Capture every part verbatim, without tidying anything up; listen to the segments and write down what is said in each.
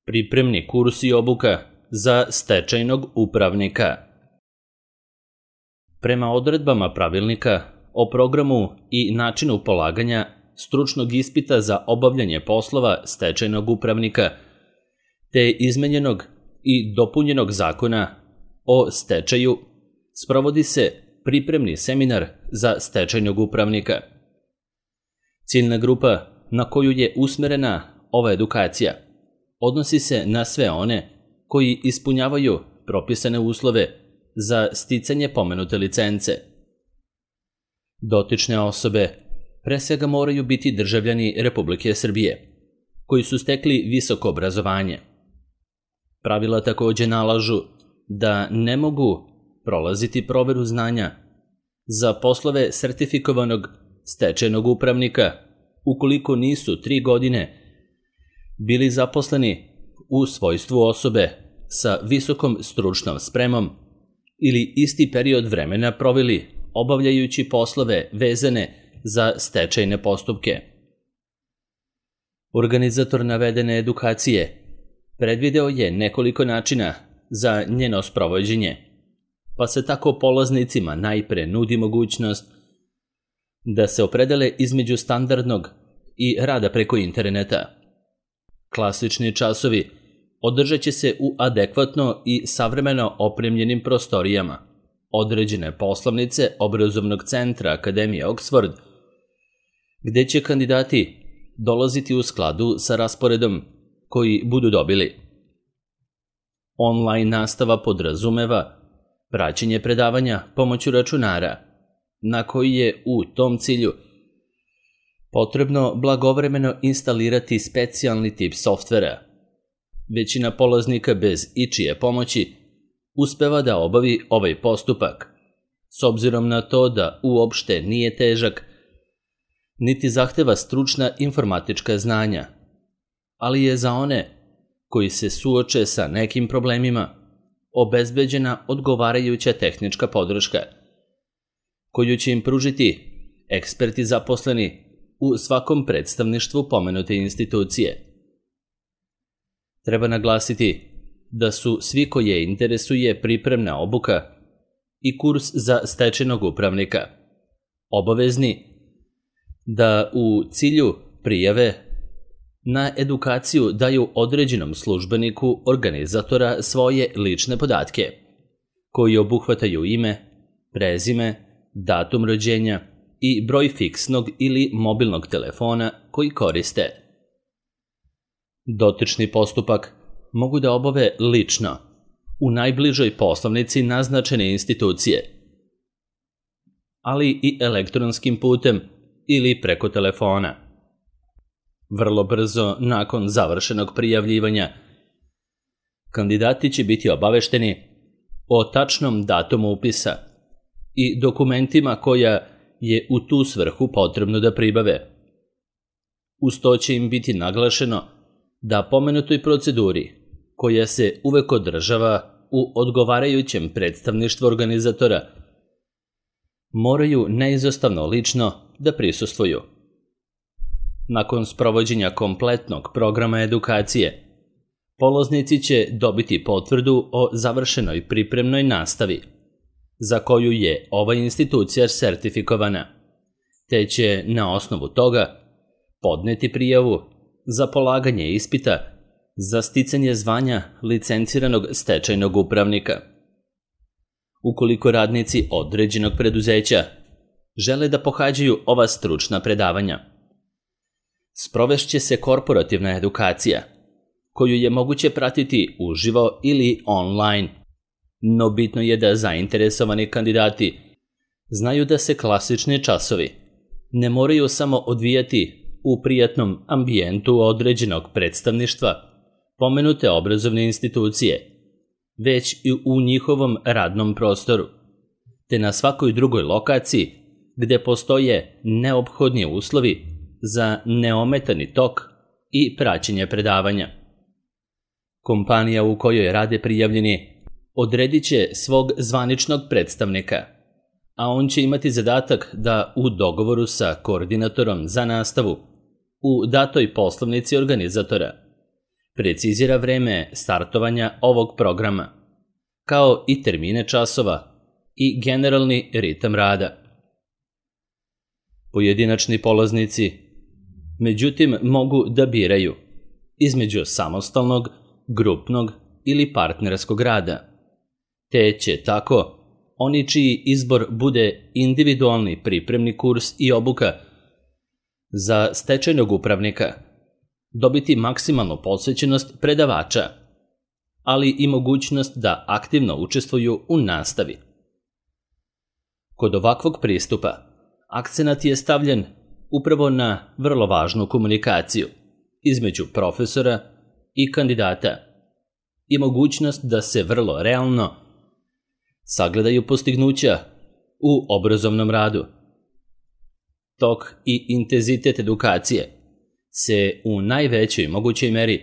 Pripremni kurs i obuka za stečajnog upravnika. Prema odredbama pravilnika o programu i načinu polaganja stručnog ispita za obavljanje poslova stečajnog upravnika, te izmenjenog i dopunjenog zakona o stečaju, sprovodi se pripremni seminar za stečajnog upravnika. Ciljna grupa na koju je usmerena ova edukacija odnosi se na sve one koji ispunjavaju propisane uslove za sticanje pomenute licence. Dotične osobe pre svega moraju biti državljani Republike Srbije, koji su stekli visoko obrazovanje. Pravila takođe nalažu da ne mogu prolaziti proveru znanja za poslove sertifikovanog stečajnog upravnika ukoliko nisu tri godine bili zaposleni u svojstvu osobe sa visokom stručnom spremom ili isti period vremena proveli obavljajući poslove vezane za stečajne postupke. Organizator navedene edukacije predvideo je nekoliko načina za njeno sprovođenje, pa se tako polaznicima najpre nudi mogućnost da se opredele između standardnog i rada preko interneta. Klasični časovi održat će se u adekvatno i savremeno opremljenim prostorijama određene poslovnice obrazovnog centra Akademije Oxford, gde će kandidati dolaziti u skladu sa rasporedom koji budu dobili. Online nastava podrazumeva praćenje predavanja pomoću računara, na koji je u tom cilju potrebno blagovremeno instalirati specijalni tip softvera. Većina polaznika bez ičije pomoći uspeva da obavi ovaj postupak, s obzirom na to da uopšte nije težak, niti zahteva stručna informatička znanja, ali je za one koji se suoče sa nekim problemima obezbeđena odgovarajuća tehnička podrška, koju će im pružiti eksperti zaposleni u svakom predstavništvu pomenute institucije. Treba naglasiti da su svi koje interesuje pripremna obuka i kurs za stečajnog upravnika obavezni da u cilju prijave na edukaciju daju određenom službeniku organizatora svoje lične podatke, koji obuhvataju ime, prezime, datum rođenja i broj fiksnog ili mobilnog telefona koji koriste. Dotični postupak mogu da obave lično u najbližoj poslovnici naznačene institucije, ali i elektronskim putem ili preko telefona. Vrlo brzo nakon završenog prijavljivanja, kandidati će biti obavešteni o tačnom datumu upisa i dokumentima koja je u tu svrhu potrebno da pribave. Uz to će im biti naglašeno da pomenutoj proceduri, koja se uvek održava u odgovarajućem predstavništvu organizatora, moraju neizostavno lično da prisustvuju. Nakon sprovođenja kompletnog programa edukacije, polaznici će dobiti potvrdu o završenoj pripremnoj nastavi, za koju je ova institucija sertifikovana, te će na osnovu toga podneti prijavu za polaganje ispita za sticanje zvanja licenciranog stečajnog upravnika. Ukoliko radnici određenog preduzeća žele da pohađaju ova stručna predavanja, sprovešće se korporativna edukacija, koju je moguće pratiti uživo ili online, no bitno je da zainteresovani kandidati znaju da se klasični časovi ne moraju samo odvijati u prijatnom ambijentu određenog predstavništva pomenute obrazovne institucije, već i u njihovom radnom prostoru, te na svakoj drugoj lokaciji gde postoje neophodni uslovi za neometani tok i praćenje predavanja. Kompanija u kojoj rade prijavljeni odredit će svog zvaničnog predstavnika, a on će imati zadatak da u dogovoru sa koordinatorom za nastavu u datoj poslovnici organizatora precizira vreme startovanja ovog programa, kao i termine časova i generalni ritam rada. Pojedinačni polaznici, međutim, mogu da biraju između samostalnog, grupnog ili partnerskog rada, te će tako oni čiji izbor bude individualni pripremni kurs i obuka za stečajnog upravnika dobiti maksimalnu posvećenost predavača, ali i mogućnost da aktivno učestvuju u nastavi. Kod ovakvog pristupa akcenat je stavljen upravo na vrlo važnu komunikaciju između profesora i kandidata i mogućnost da se vrlo realno sagledaju postignuća u obrazovnom radu. Tok i intenzitet edukacije se u najvećoj mogućoj meri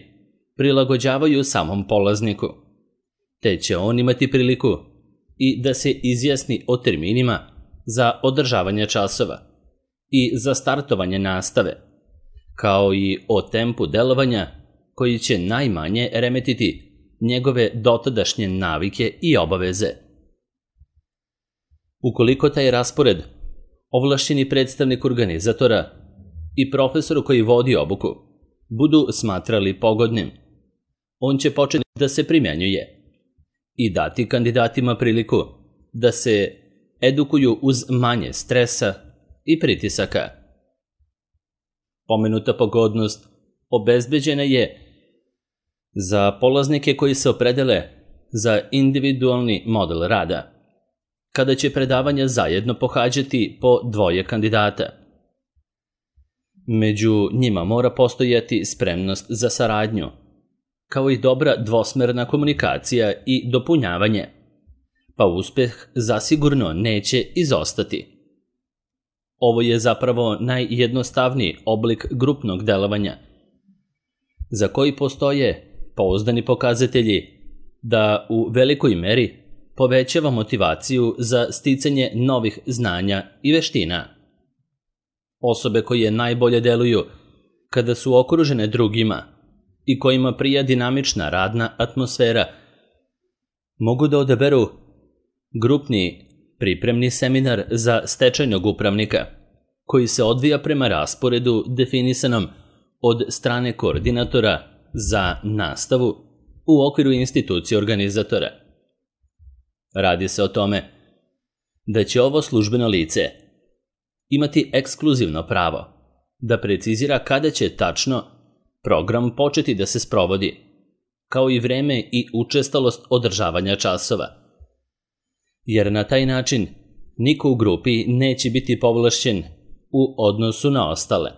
prilagođavaju samom polazniku, te će on imati priliku i da se izjasni o terminima za održavanje časova i za startovanje nastave, kao i o tempu delovanja koji će najmanje remetiti njegove dotadašnje navike i obaveze. Ukoliko taj raspored ovlašćeni predstavnik organizatora i profesoru koji vodi obuku budu smatrali pogodnim, on će početi da se primjenjuje i dati kandidatima priliku da se edukuju uz manje stresa i pritisaka. Pomenuta pogodnost obezbeđena je za polaznike koji se opredele za individualni model rada, kada će predavanja zajedno pohađati po dvoje kandidata. Među njima mora postojati spremnost za saradnju, kao i dobra dvosmerna komunikacija i dopunjavanje, pa uspeh zasigurno neće izostati. Ovo je zapravo najjednostavniji oblik grupnog delovanja, za koji postoje pouzdani pokazatelji da u velikoj meri povećava motivaciju za sticanje novih znanja i veština. Osobe koje najbolje deluju kada su okružene drugima i kojima prija dinamična radna atmosfera mogu da odaberu grupni pripremni seminar za stečajnog upravnika koji se odvija prema rasporedu definisanom od strane koordinatora za nastavu u okviru institucije organizatora. Radi se o tome da će ovo službeno lice imati ekskluzivno pravo da precizira kada će tačno program početi da se sprovodi, kao i vreme i učestalost održavanja časova, jer na taj način niko u grupi neće biti povlašćen u odnosu na ostale.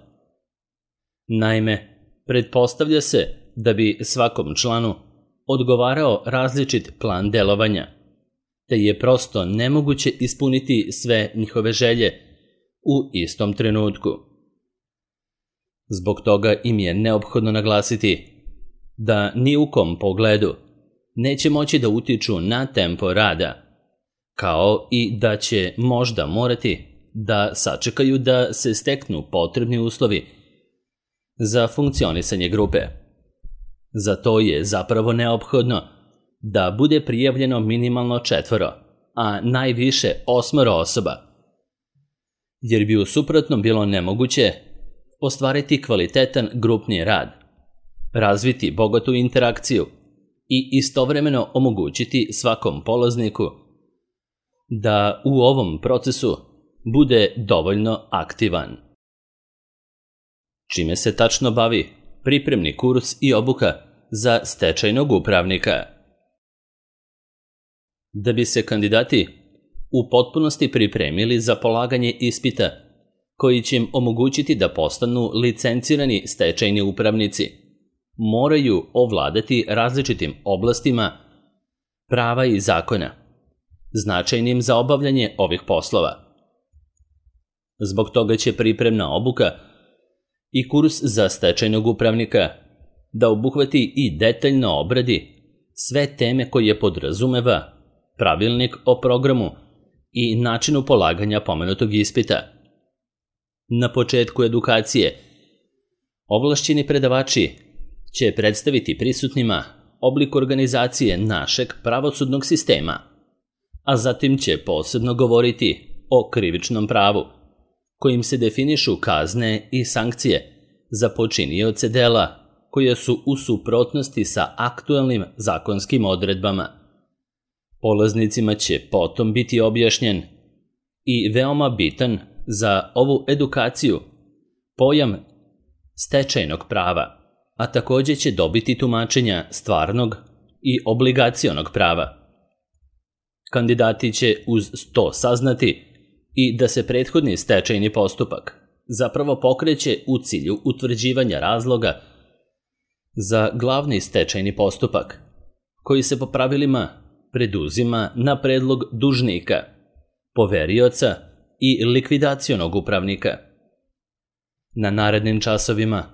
Naime, pretpostavlja se da bi svakom članu odgovarao različit plan delovanja, te je prosto nemoguće ispuniti sve njihove želje u istom trenutku. Zbog toga im je neophodno naglasiti da ni u kom pogledu neće moći da utiču na tempo rada, kao i da će možda morati da sačekaju da se steknu potrebni uslovi za funkcionisanje grupe. Za to je zapravo neophodno da bude prijavljeno minimalno četvoro, a najviše osmoro osoba, jer bi u suprotnom bilo nemoguće ostvariti kvalitetan grupni rad, razviti bogatu interakciju i istovremeno omogućiti svakom polazniku da u ovom procesu bude dovoljno aktivan. Čime se tačno bavi pripremni kurs i obuka za stečajnog upravnika? Da bi se kandidati u potpunosti pripremili za polaganje ispita koji će im omogućiti da postanu licencirani stečajni upravnici, moraju ovladati različitim oblastima prava i zakona, značajnim za obavljanje ovih poslova. Zbog toga će pripremna obuka i kurs za stečajnog upravnika da obuhvati i detaljno obradi sve teme koje podrazumeva pravilnik o programu i načinu polaganja pomenutog ispita. Na početku edukacije ovlašćeni predavači će predstaviti prisutnima oblik organizacije našeg pravosudnog sistema, a zatim će posebno govoriti o krivičnom pravu, kojim se definišu kazne i sankcije za počinioce dela koje su u suprotnosti sa aktuelnim zakonskim odredbama. Polaznicima će potom biti objašnjen i veoma bitan za ovu edukaciju pojam stečajnog prava, a također će dobiti tumačenja stvarnog i obligacionog prava. Kandidati će uz to saznati i da se prethodni stečajni postupak zapravo pokreće u cilju utvrđivanja razloga za glavni stečajni postupak, koji se po pravilima preduzima na predlog dužnika, poverioca i likvidacionog upravnika. Na narednim časovima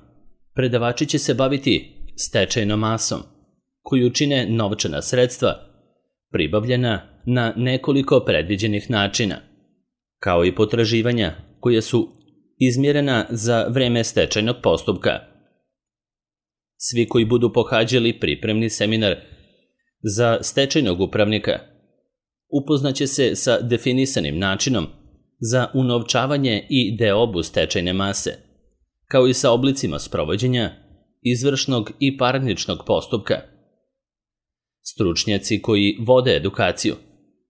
predavači će se baviti stečajnom masom, koju čine novčana sredstva pribavljena na nekoliko predviđenih načina, kao i potraživanja koje su izmjerena za vreme stečajnog postupka. Svi koji budu pohađali pripremni seminar za stečajnog upravnika upoznaće se sa definisanim načinom za unovčavanje i deobu stečajne mase, kao i sa oblicima sprovođenja izvršnog i parničnog postupka. Stručnjaci koji vode edukaciju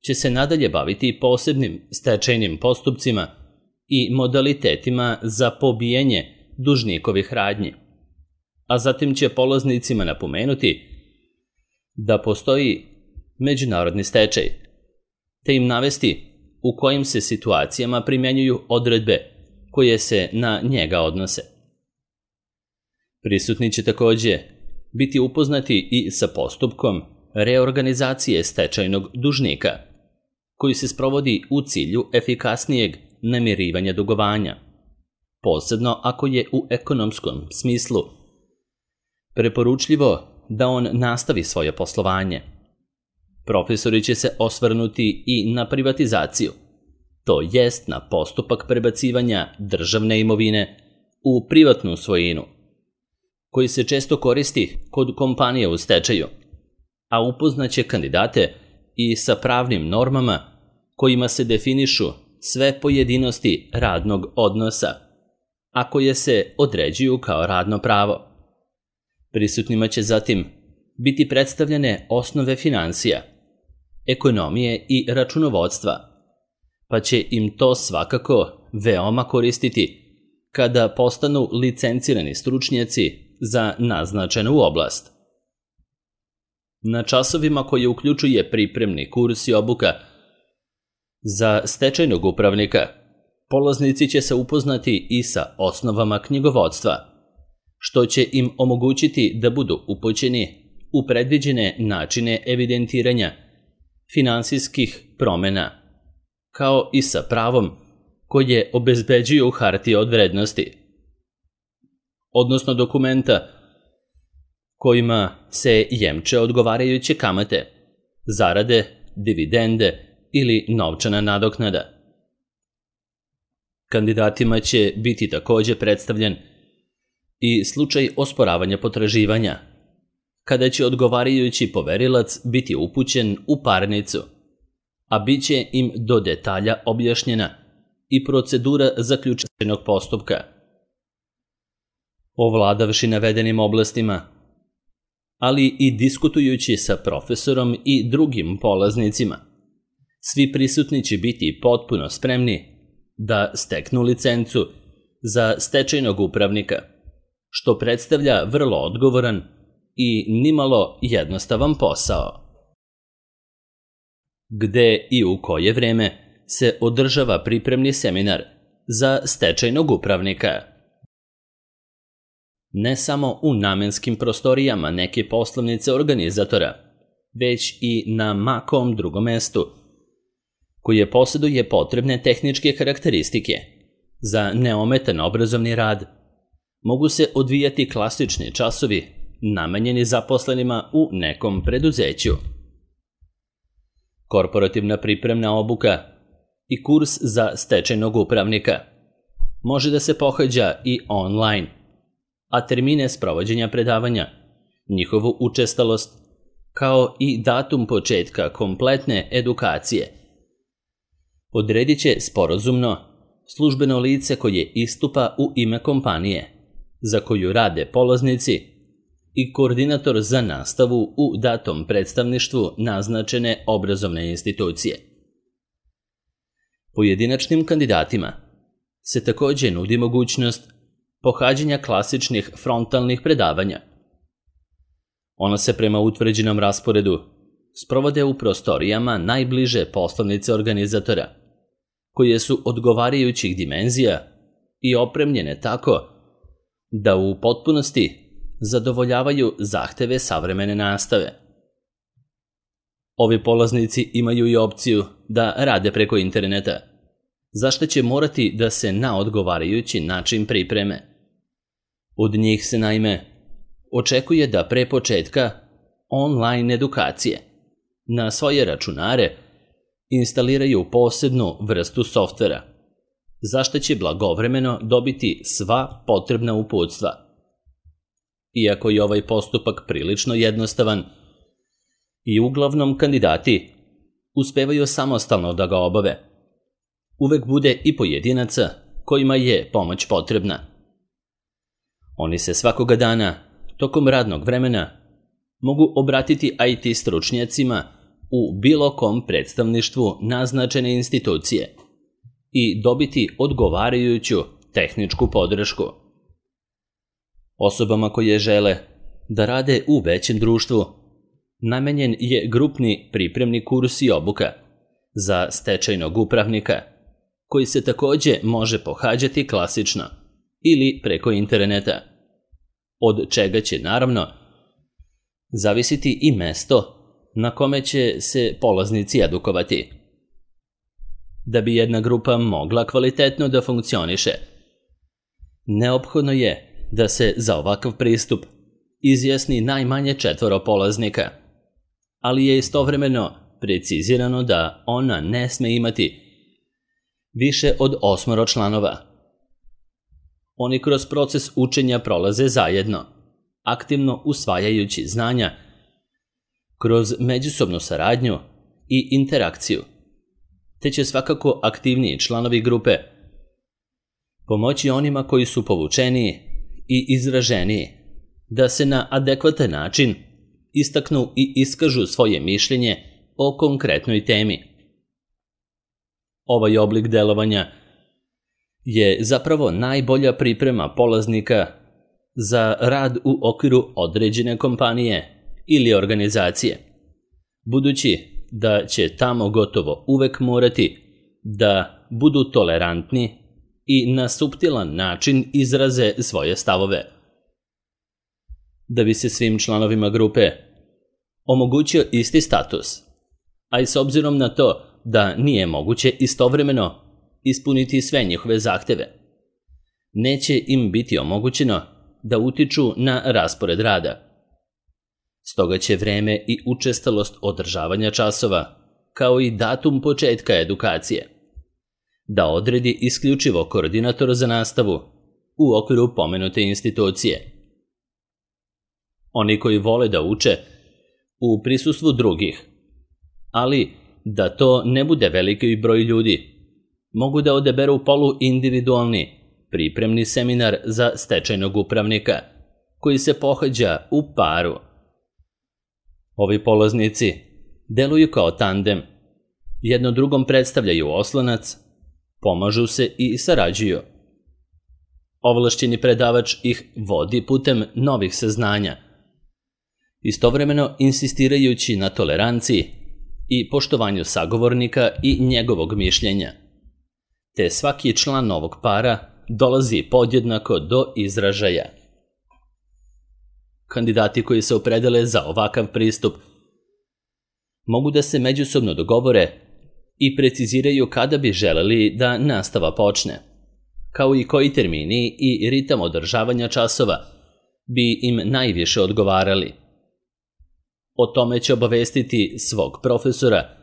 će se nadalje baviti posebnim stečajnim postupcima i modalitetima za pobijanje dužnikovih radnji, a zatim će polaznicima napomenuti da postoji međunarodni stečaj, te im navesti u kojim se situacijama primjenjuju odredbe koje se na njega odnose. Prisutni će također biti upoznati i sa postupkom reorganizacije stečajnog dužnika, koji se sprovodi u cilju efikasnijeg namirivanja dugovanja, posebno ako je u ekonomskom smislu preporučljivo da on nastavi svoje poslovanje. Profesori će se osvrnuti i na privatizaciju, to jest na postupak prebacivanja državne imovine u privatnu svojinu, koji se često koristi kod kompanije u stečaju, a upoznaće kandidate i sa pravnim normama kojima se definišu sve pojedinosti radnog odnosa, a koje se određuju kao radno pravo. Prisutnima će zatim biti predstavljene osnove finansija, ekonomije i računovodstva, pa će im to svakako veoma koristiti kada postanu licencirani stručnjaci za naznačenu oblast. Na časovima koje uključuje pripremni kurs i obuka za stečajnog upravnika, polaznici će se upoznati i sa osnovama knjigovodstva, što će im omogućiti da budu upućeni u predviđene načine evidentiranja finansijskih promjena, kao i sa pravom koje obezbeđuju hartije od vrednosti, odnosno dokumenta kojima se jemče odgovarajuće kamate, zarade, dividende ili novčana nadoknada. Kandidatima će biti također predstavljen i slučaj osporavanja potraživanja, kada će odgovarajući poverilac biti upućen u parnicu, a bit će im do detalja objašnjena i procedura zaključenog postupka. Ovladavši navedenim oblastima, ali i diskutujući sa profesorom i drugim polaznicima, svi prisutni će biti potpuno spremni da steknu licencu za stečajnog upravnika, što predstavlja vrlo odgovoran i nimalo jednostavan posao. Gde i u koje vreme se održava pripremni seminar za stečajnog upravnika? Ne samo u namenskim prostorijama neke poslovnice organizatora, već i na makom drugom mestu, koje posjeduje potrebne tehničke karakteristike za neometan obrazovni rad, mogu se odvijati klasični časovi namenjeni zaposlenima u nekom preduzeću. Korporativna pripremna obuka i kurs za stečajnog upravnika može da se pohađa i online, a termine sprovođenja predavanja, njihovu učestalost, kao i datum početka kompletne edukacije. Odredit će sporazumno službeno lice koje istupa u ime kompanije, za koju rade polaznici, i koordinator za nastavu u datom predstavništvu naznačene obrazovne institucije. Pojedinačnim kandidatima se također nudi mogućnost pohađanja klasičnih frontalnih predavanja. Ona se prema utvrđenom rasporedu sprovode u prostorijama najbliže poslovnice organizatora, koje su odgovarajućih dimenzija i opremljene tako da u potpunosti zadovoljavaju zahteve savremene nastave. Ovi polaznici imaju i opciju da rade preko interneta, za što će morati da se na odgovarajući način pripreme. Od njih se naime očekuje da pre početka online edukacije na svoje računare instaliraju posebnu vrstu softvera, za što će blagovremeno dobiti sva potrebna uputstva. Iako je ovaj postupak prilično jednostavan i uglavnom kandidati uspevaju samostalno da ga obave, uvek bude i pojedinaca kojima je pomoć potrebna. Oni se svakoga dana, tokom radnog vremena, mogu obratiti I T stručnjacima u bilo kom predstavništvu naznačene institucije i dobiti odgovarajuću tehničku podršku. Osobama koje žele da rade u većem društvu namenjen je grupni pripremni kurs i obuka za stečajnog upravnika, koji se također može pohađati klasično ili preko interneta, od čega će naravno zavisiti i mesto na kome će se polaznici edukovati. Da bi jedna grupa mogla kvalitetno da funkcioniše, neophodno je da se za ovakav pristup izjasni najmanje četvoro polaznika, ali je istovremeno precizirano da ona ne sme imati više od osmoro članova. Oni kroz proces učenja prolaze zajedno, aktivno usvajajući znanja kroz međusobnu saradnju i interakciju, te će svakako aktivniji članovi grupe pomoći onima koji su povučeniji i izraženiji da se na adekvatan način istaknu i iskažu svoje mišljenje o konkretnoj temi. Ovaj oblik delovanja je zapravo najbolja priprema polaznika za rad u okviru određene kompanije ili organizacije, budući da će tamo gotovo uvek morati da budu tolerantni i na suptilan način izraze svoje stavove. Da bi se svim članovima grupe omogućio isti status, a i s obzirom na to da nije moguće istovremeno ispuniti sve njihove zahteve, neće im biti omogućeno da utiču na raspored rada. Stoga će vreme i učestalost održavanja časova, kao i datum početka edukacije, da odredi isključivo koordinator za nastavu u okviru pomenute institucije. Oni koji vole da uče u prisustvu drugih, ali da to ne bude veliki broj ljudi, mogu da odaberu poluindividualni pripremni seminar za stečajnog upravnika, koji se pohađa u paru. Ovi polaznici deluju kao tandem, jedno drugom predstavljaju oslonac, pomažu se i sarađuju. Ovlašćeni predavač ih vodi putem novih saznanja, istovremeno insistirajući na toleranciji i poštovanju sagovornika i njegovog mišljenja, te svaki član novog para dolazi podjednako do izražaja. Kandidati koji se opredele za ovakav pristup mogu da se međusobno dogovore i preciziraju kada bi želeli da nastava počne, kao i koji termini i ritam održavanja časova bi im najviše odgovarali. O tome će obavestiti svog profesora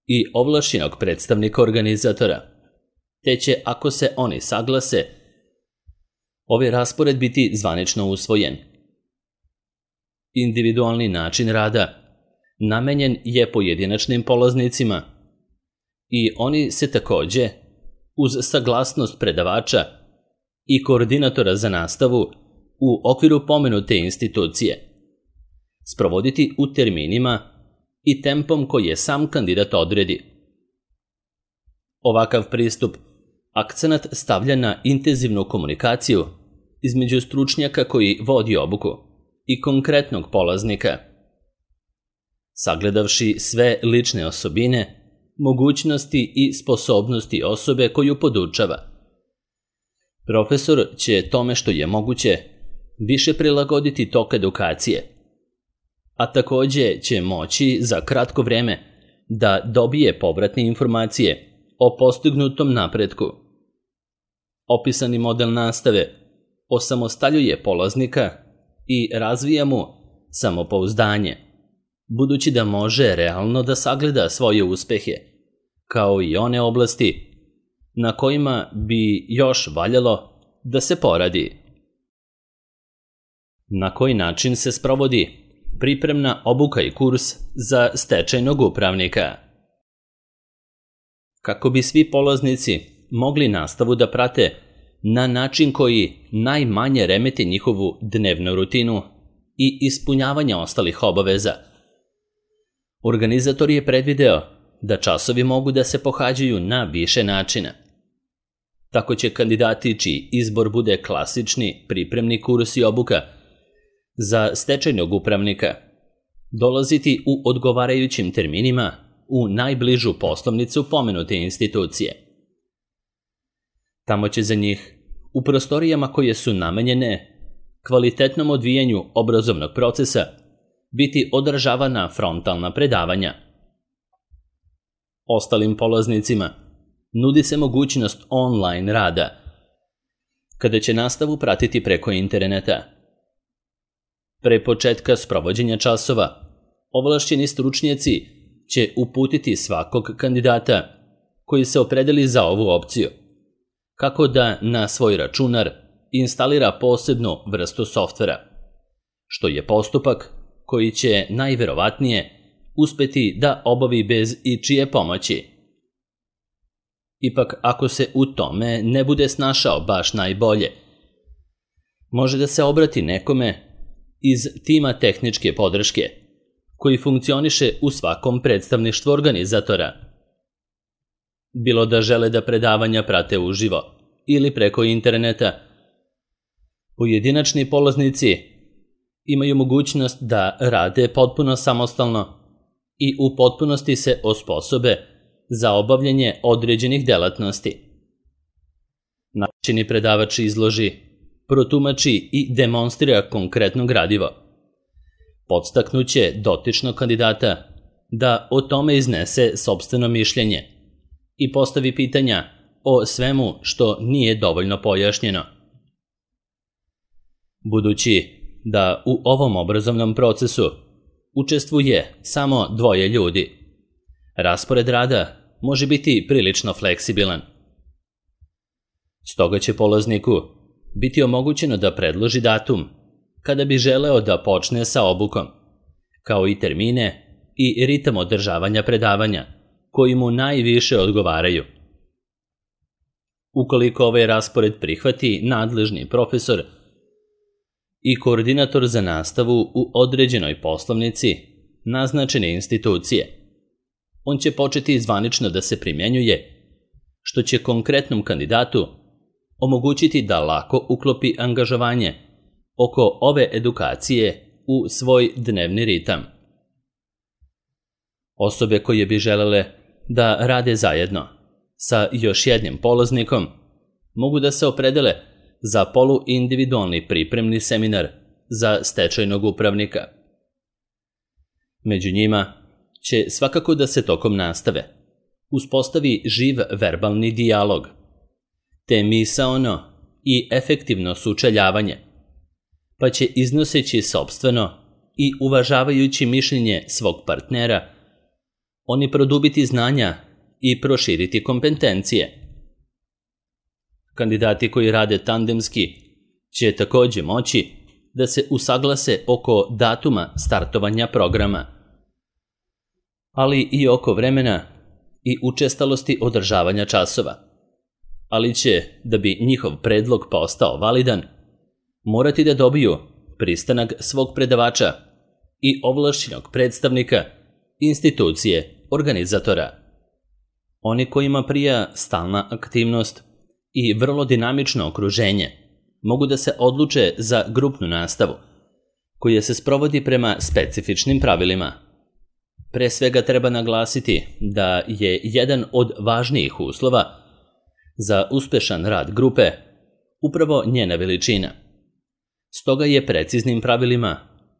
i ovlašćenog predstavnika organizatora, te će, ako se oni saglase, ovaj raspored biti zvanično usvojen. Individualni način rada namenjen je pojedinačnim polaznicima i oni se takođe, uz saglasnost predavača i koordinatora za nastavu u okviru pomenute institucije, sprovoditi u terminima i tempom koji je sam kandidat odredi. Ovakav pristup akcenat stavlja na intenzivnu komunikaciju između stručnjaka koji vodi obuku i konkretnog polaznika. Sagledavši sve lične osobine, mogućnosti i sposobnosti osobe koju podučava, profesor će tome što je moguće više prilagoditi tok edukacije, a takođe će moći za kratko vreme da dobije povratne informacije o postignutom napretku. Opisani model nastave osamostaljuje polaznika i razvija mu samopouzdanje, budući da može realno da sagleda svoje uspehe, kao i one oblasti na kojima bi još valjalo da se poradi. Na koji način se sprovodi pripremna obuka i kurs za stečajnog upravnika? Kako bi svi polaznici mogli nastavu da prate na način koji najmanje remeti njihovu dnevnu rutinu i ispunjavanje ostalih obaveza, organizator je predvideo da časovi mogu da se pohađaju na više načina. Tako će kandidati čiji izbor bude klasični pripremni kurs i obuka za stečajnog upravnika dolaziti u odgovarajućim terminima u najbližu poslovnicu pomenute institucije. Tamo će za njih, u prostorijama koje su namenjene kvalitetnom odvijanju obrazovnog procesa, biti održavana frontalna predavanja. Ostalim polaznicima nudi se mogućnost online rada, kada će nastavu pratiti preko interneta. Pre početka sprovođenja časova, ovlašćeni stručnjaci će uputiti svakog kandidata koji se opredeli za ovu opciju, kako da na svoj računar instalira posebnu vrstu softvera, što je postupak koji će najverovatnije uspeti da obavi bez ičije pomoći. Ipak, ako se u tome ne bude snašao baš najbolje, može da se obrati nekome iz tima tehničke podrške, koji funkcioniše u svakom predstavništvu organizatora. Bilo da žele da predavanja prate uživo ili preko interneta, pojedinačni polaznici imaju mogućnost da rade potpuno samostalno i u potpunosti se osposobe za obavljanje određenih delatnosti. Načini predavač izloži, protumači i demonstrira konkretno gradivo. Podstaknuće dotičnog kandidata da o tome iznese sopstveno mišljenje i postavi pitanja o svemu što nije dovoljno pojašnjeno. Budući da u ovom obrazovnom procesu učestvuje samo dvoje ljudi, raspored rada može biti prilično fleksibilan. Stoga će polazniku biti omogućeno da predloži datum kada bi želeo da počne sa obukom, kao i termine i ritam održavanja predavanja koji mu najviše odgovaraju. Ukoliko ovaj raspored prihvati nadležni profesor i koordinator za nastavu u određenoj poslovnici naznačene institucije, on će početi zvanično da se primjenjuje, što će konkretnom kandidatu omogućiti da lako uklopi angažovanje oko ove edukacije u svoj dnevni ritam. Osobe koje bi želele da rade zajedno sa još jednim polaznikom mogu da se opredele za poluindividualni pripremni seminar za stečajnog upravnika. Među njima će svakako da se tokom nastave uspostavi živ verbalni dijalog, te misaono i efektivno sučeljavanje, pa će iznoseći sopstveno i uvažavajući mišljenje svog partnera, oni produbiti znanja i proširiti kompetencije. Kandidati koji rade tandemski će također moći da se usaglase oko datuma startovanja programa, ali i oko vremena i učestalosti održavanja časova, ali će, da bi njihov predlog postao validan, morati da dobiju pristanak svog predavača i ovlašćenog predstavnika institucije organizatora. Oni kojima prija stalna aktivnost i vrlo dinamično okruženje mogu da se odluče za grupnu nastavu, koja se sprovodi prema specifičnim pravilima. Pre svega treba naglasiti da je jedan od važnijih uslova za uspešan rad grupe upravo njena veličina. Stoga je preciznim pravilima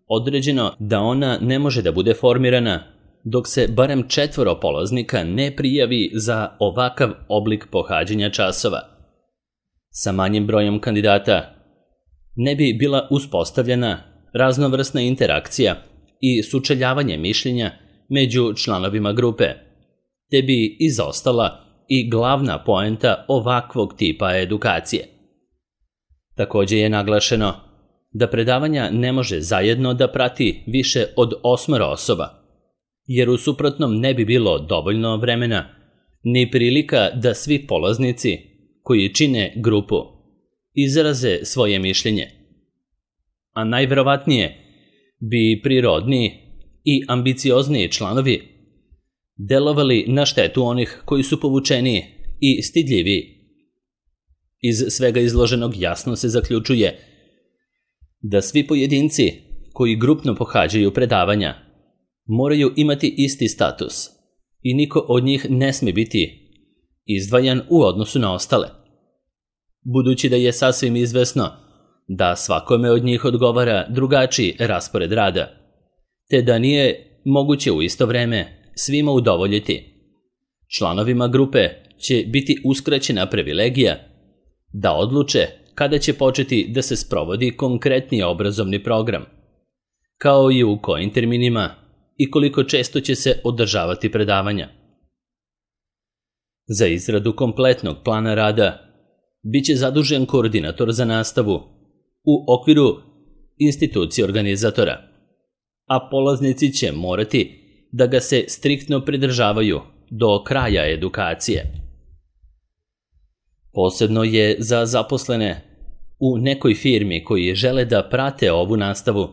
određeno da ona ne može da bude formirana dok se barem četvoro polaznika ne prijavi za ovakav oblik pohađanja časova. Sa manjim brojem kandidata ne bi bila uspostavljena raznovrsna interakcija i sučeljavanje mišljenja među članovima grupe, te bi izostala i glavna poenta ovakvog tipa edukacije. Također je naglašeno da predavanja ne može zajedno da prati više od osmoro osoba, jer u suprotnom ne bi bilo dovoljno vremena ni prilika da svi polaznici koji čine grupu izraze svoje mišljenje. A najverovatnije bi prirodniji i ambiciozniji članovi delovali na štetu onih koji su povučeniji i stidljiviji. Iz svega izloženog jasno se zaključuje da svi pojedinci koji grupno pohađaju predavanja moraju imati isti status i niko od njih ne smije biti izdvajan u odnosu na ostale. Budući da je sasvim izvesno da svakome od njih odgovara drugačiji raspored rada, te da nije moguće u isto vreme svima udovoljiti, članovima grupe će biti uskraćena privilegija da odluče kada će početi da se sprovodi konkretni obrazovni program, kao i u kojim terminima i koliko često će se održavati predavanja. Za izradu kompletnog plana rada biće zadužen koordinator za nastavu u okviru institucije organizatora, a polaznici će morati da ga se striktno pridržavaju do kraja edukacije. Posebno je za zaposlene u nekoj firmi koji žele da prate ovu nastavu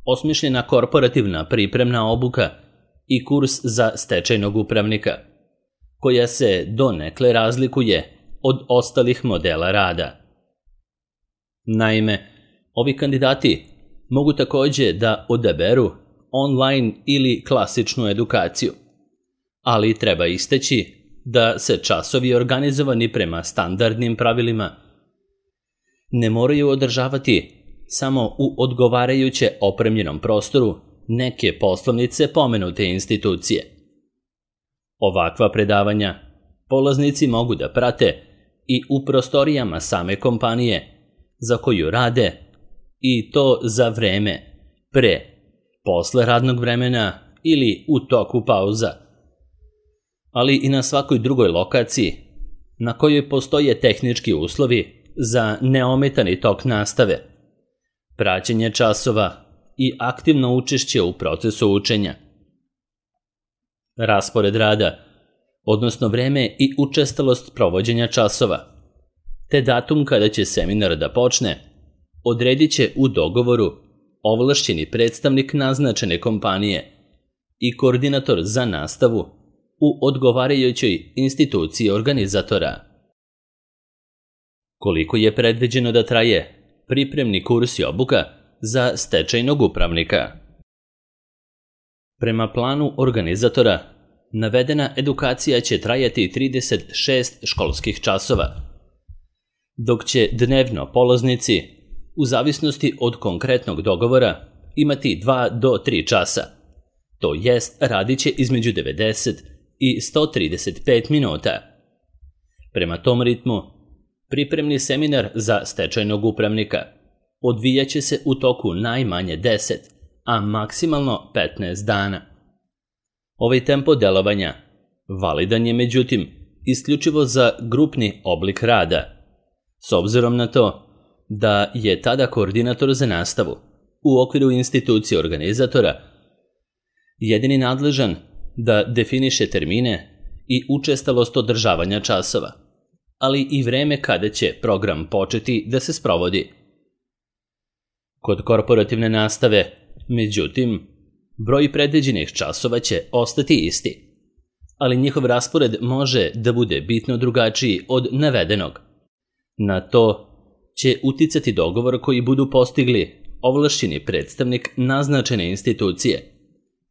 osmišljena korporativna pripremna obuka i kurs za stečajnog upravnika, koja se donekle razlikuje od ostalih modela rada. Naime, ovi kandidati mogu također da odaberu online ili klasičnu edukaciju, ali treba istaći da se časovi organizovani prema standardnim pravilima ne moraju održavati samo u odgovarajuće opremljenom prostoru neke poslovnice pomenute institucije. Ovakva predavanja polaznici mogu da prate i u prostorijama same kompanije za koju rade, i to za vreme pre, posle radnog vremena ili u toku pauza, ali i na svakoj drugoj lokaciji na kojoj postoje tehnički uslovi za neometani tok nastave, praćenje časova i aktivno učešće u procesu učenja. Raspored rada, odnosno vreme i učestalost provođenja časova, te datum kada će seminar da počne, odredit će u dogovoru ovlašćeni predstavnik naznačene kompanije i koordinator za nastavu u odgovarajućoj instituciji organizatora. Koliko je predviđeno da traje pripremni kurs i obuka za stečajnog upravnika? Prema planu organizatora, navedena edukacija će trajati trideset šest školskih časova, dok će dnevno polaznici, u zavisnosti od konkretnog dogovora, imati dva do tri časa, to jest radit će između devedeset i sto trideset pet minuta. Prema tom ritmu, pripremni seminar za stečajnog upravnika odvijat će se u toku najmanje deset, a maksimalno petnaest dana. Ovaj tempo delovanja validan je, međutim, isključivo za grupni oblik rada, s obzirom na to da je tada koordinator za nastavu u okviru institucije organizatora jedini nadležan da definiše termine i učestalost održavanja časova, ali i vreme kada će program početi da se sprovodi. Kod korporativne nastave, međutim, broj predviđenih časova će ostati isti, ali njihov raspored može da bude bitno drugačiji od navedenog. Na to će uticati dogovor koji budu postigli ovlašćeni predstavnik naznačene institucije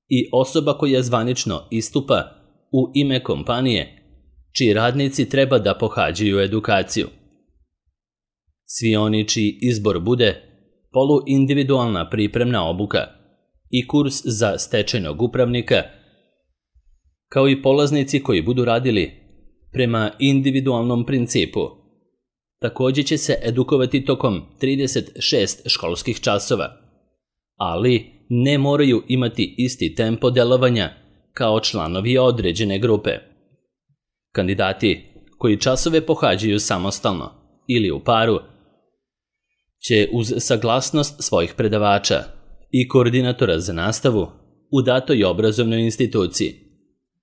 i osoba koja zvanično istupa u ime kompanije čiji radnici treba da pohađaju edukaciju. Svi oni čiji izbor bude poluindividualna pripremna obuka i kurs za stečajnog upravnika, kao i polaznici koji budu radili prema individualnom principu, također će se edukovati tokom trideset šest školskih časova, ali ne moraju imati isti tempo delovanja kao članovi određene grupe. Kandidati koji časove pohađaju samostalno ili u paru će uz saglasnost svojih predavača i koordinatora za nastavu u datoj obrazovnoj instituciji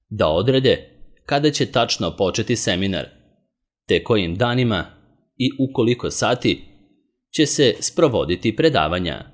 da odrede kada će tačno početi seminar, te kojim danima i u koliko sati će se sprovoditi predavanja.